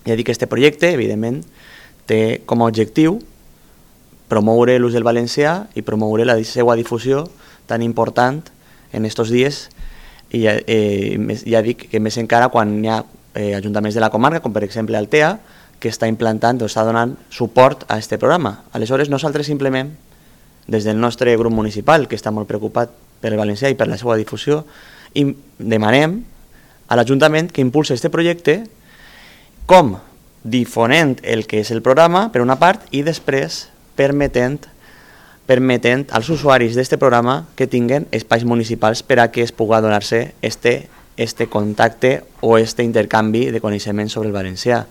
Ja dic que aquest projecte, evidentment, té com a objectiu promoure l'ús del valencià i promoure la seva difusió tan important en aquests dies, i ja dic que més encara quan hi ha ajuntaments de la comarca, com per exemple Altea, que està implantant o està donant suport a aquest programa. Aleshores, nosaltres simplement, des del nostre grup municipal, que està molt preocupat per el valencià i per la seva difusió, i demanem a l'Ajuntament que impulsi aquest projecte com difonent el que és el programa, per una part, i després permetent als usuaris d'aquest programa que tinguen espais municipals per a que es pugui donar-se este contacte o este intercanvi de coneixements sobre el valencià.